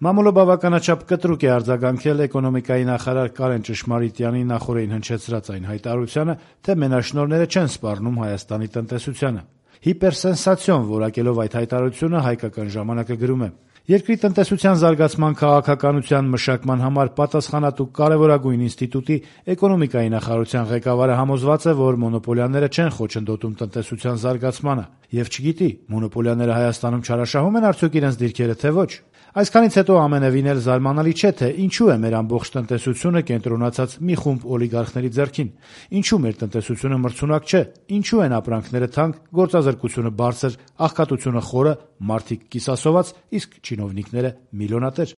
Մամուլը բավականաչափ կտրուկ է արձագանքել էկոնոմիկայի նախարար Կարեն Ճշմարիտյանի նախօրեին հնչեցրած այն հայտարարությանը, թե մենաշնորհները չեն սպառնում Հայաստանի տնտեսությանը։ Հիպերսենսացիոն որակելով այդ հայտարարությունը «Հայկական ժամանակ»-ը գրում է. «Երկրի տնտեսության զարգացման քաղաքականության մշակման համար պատասխանատու կարևորագույն ինստիտուտի էկոնոմիկայի նախարարության ղեկավարը համոզված է, որ մոնոպոլիաները չեն խոչընդոտում տնտեսության զարգացմանը եւ չգիտի՝ մոնոպոլիաները Հայաստանում չարաշահում են արդյոք իրենց դիրքերը, թե ոչ։ Այսքանից հետո ամենևին էլ զարմանալի չէ, թե ինչու է մեր ամբողջ տնտեսությունը կենտրոնացած մի խումբ օլիգարխների ձեռքին, ինչու մեր տնտեսությունը մրցունակ չէ, ինչու են ապրանքները թանկ, գործազրկությունը բարձր, աղքատությունը խորը, մարդիկ կիսասոված, իսկ չինովնիկները միլիոնատեր»։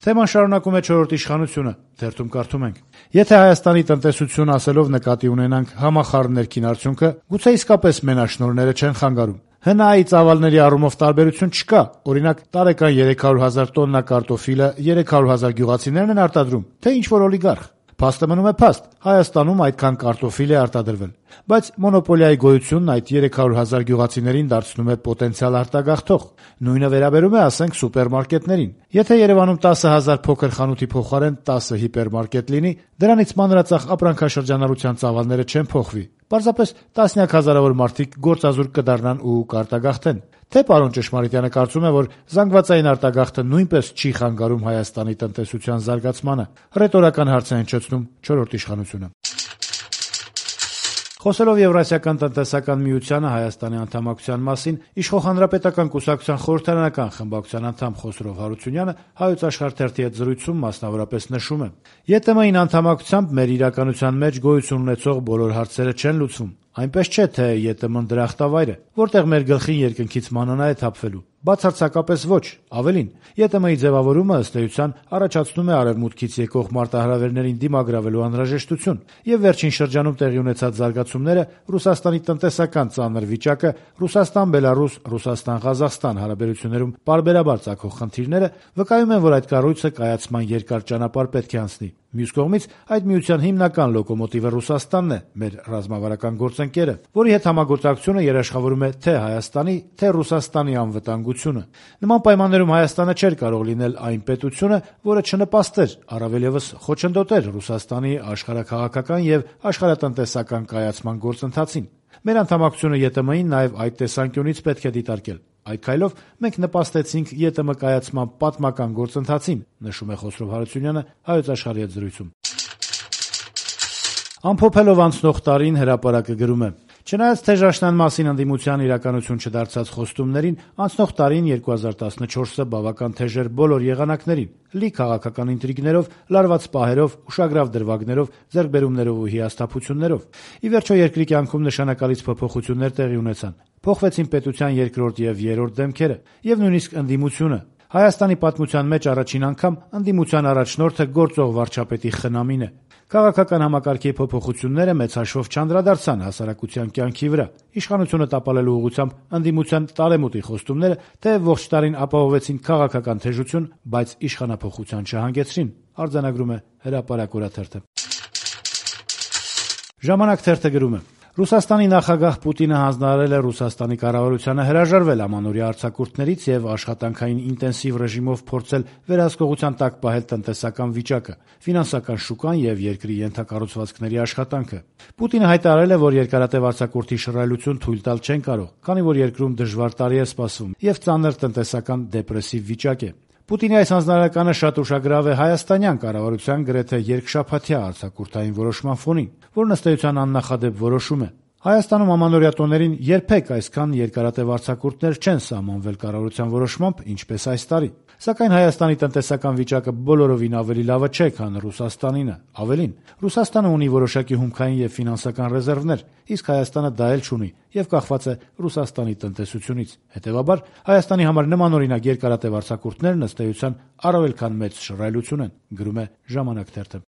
Թեման շարունակում է «Չորրորդ իշխանությունը» թերթում կարդում ենք. «Եթե Հայաստանի տնտեսություն ասելով նկատի ունենանք համախառն ներքին արդյունքը, գուցե իսկապես մենաշնորհները չեն խանգարում։ ՀՆԱ-ի ծավալների առումով տարբերություն չկա, օրինակ տարեկան 300,000 տոննա կարտոֆիլը 300,000 գյուղացիներն են արտադրում, թե ինչ-որ օլիգարխ։ Փաստը մնում է փաստ, Հայաստանում այդքան կարտոֆիլ է արտադրվել։ Բայց մոնոպոլիայի գոյությունն այդ 300,000 գյուղացիներին դարձնում է պոտենցիալ արտագաղթող։ Նույնը վերաբերում է, ասենք, սուպերմարկետներին։ Եթե Երևանում 10,000 փոքր խանութի փոխարեն 10 հիպերմարկետ լինի, դրանից մանրածախ ապրանքաշրջանառության ծավալները չեն փոխվի։ Պարզապես տասնյակ հազարավոր մարդիկ գործազուրկ կդառնան ու կարտագաղթեն։ Թե պարոն Ճշմարիտյանը կարծում է, որ զանգվածային արտագաղթը նույնպես չի խանգարում Հայաստանի տնտեսության զարգացմանը։ Ռետորական հարց է հնչեցնում «Չորրորդ իշխանությունը»։ Խոսելով Եվրասիական տնտեսական միությանը Հայաստանի անդամակցության մասին, Իշխող Հանրապետական կուսակցության խորհրդարանական խմբակցության անդամ Խոսրով Հարությունյանը Հայոց Աշխարհ թերթի հետ զրույցում մասնավորապես նշում է. «ԵՏՄ-ին անդամակցությամբ մեր իրականության մեջ գոյություն ունեցող բոլոր հարցերը չեն լուծվում։ Այնպես չէ, թե ԵՏՄ-ն դրախտավայր է, որտեղ մեր գլխին երկնքից մանանա է թափվելու։ Բացարձակապես ոչ։ Ավելին, ԵՏՄ-ի ձևավորումը ըստ էության առաջացնում է արևմուտքից եկող մարտահրավերներին դիմագրավելու անհրաժեշտություն, եւ վերջին շրջանում տեղի ունեցած զարգացումները, Ռուսաստանի տնտեսական ծանր վիճակը, Ռուսաստան-Բելարուս, Ռուսաստան-Ղազախստան հարաբերություններում պարբերաբար ծագող խնդիրները վկայում են, որ այդ կառույցը կայացման երկար ճանապարհ պետք է անցնի։ Մյուս կողմից, այդ միության հիմնական լոկոմոտիվը Ռուսաստանն է, մեր ռազմավարական գործընկերը, որի հետ համագործակցությունը երաշխավորում է թե Հայաստանի, թե Ռուսաստանի անվտանգությունը։ Նման պայմաններում Հայաստանը չէր կարող լինել այն պետությունը, որը չնպաստեր, առավել եւս խոչընդոտեր Ռուսաստանի աշխարհաքաղաքական եւ աշխարհատնտեսական կայացման գործընթացին։ Մեր անդամակցությունը ԵՏՄ-ին նաեւ այդ տեսանկյունից պետք է դիտարկել։ Այդ քայլով մենք նպաստեցինք ԵՏՄ կայացման պատմական գործընթացին», նշում է Խոսրով Հարությունյանը Հայոց Աշխարհի հետ զրույցում։ Ամփոփելով անցնող տարին հրապարակը գրում է. «Չնայած թեժաշնան մասին ընդդիմության իրականություն չդարձած խոստումներին, անցնող տարին 2014-ը բավական թեժ էր բոլոր եղանակներին՝ լի քաղաքական ինտրիգներով, լարված պահերով, ուշագրավ դրվագներով, ձեռքբերումներով ու հիասթափություններով։ Ի վերջո երկրի կյանքում նշանակալից փոփոխություններ տեղի ունեցան։ Փոխվեցին պետության երկրորդ եւ երրորդ դեմքերը, եւ նույնիսկ ընդդիմությունը։ Հայաստանի պատմության մեջ առաջին անգամ ընդդիմության առաջնորդը գործող վարչապետի խնամին է։ Քաղաքական համակարգի փոփոխությունները մեծ հաշվով չանդրադարձան հասարակության կյանքի վրա։ Իշխանությունը տապալելու ուղղությամբ ընդդիմության տարեմուտի խոստումները թեև ողջ տարին ապահովեցին քաղաքական թեժություն, բայց իշխանափոխության չհանգեցրին», արձանագրում է Հրապարակ օրաթերթը։ Ժամանակ թերթը գրում է. «Ռուսաստանի նախագահ Պուտինը հանձնարարել է Ռուսաստանի կառավարությանը հրաժարվել ամանորյա արձակուրդներից եւ աշխատանքային ինտենսիվ ռեժիմով փորձել վերահսկողության տակ պահել տնտեսական վիճակը, ֆինանսական շուկան եւ երկրի ենթակառուցվածքների աշխատանքը։ Պուտինը հայտարարել է, որ երկարատև արձակուրդի շռայլություն թույլ տալ չեն կարող, քանի որ երկրում դժվար տարի է սպասվում եւ ծանր տնտեսական դեպրեսիվ վիճակ է։ Պուտինի այս հանձնարարականը շատ ուշագրավ է հայաստանյան կառավարության գրեթե երկշաբաթյա արձակուրդային որոշման ֆոնին, որն ըստ էության աննախադեպ որոշում է։ Հայաստանում ամանորյա տոներին երբեք այսքան երկարատև արձակուրդներ չեն սահմանվել կառավարության որոշմամբ, ինչպես այս տարի։ Սակայն Հայաստանի տնտեսական վիճակը բոլորովին ավելի լավը չէ, քան Ռուսաստանինը։ Ավելին, Ռուսաստանը ունի որոշակի հումքային եւ ֆինանսական ռեզերվներ, իսկ Հայաստանը դա էլ չունի եւ կախված է Ռուսաստանի տնտեսությունից։ Հետեւաբար, Հայաստանի համար նմանօրինակ երկարատև արձակուրդներն ըստ էության առավել քան մեծ շռայլություն են, գրում է Ժամանակ թերթը։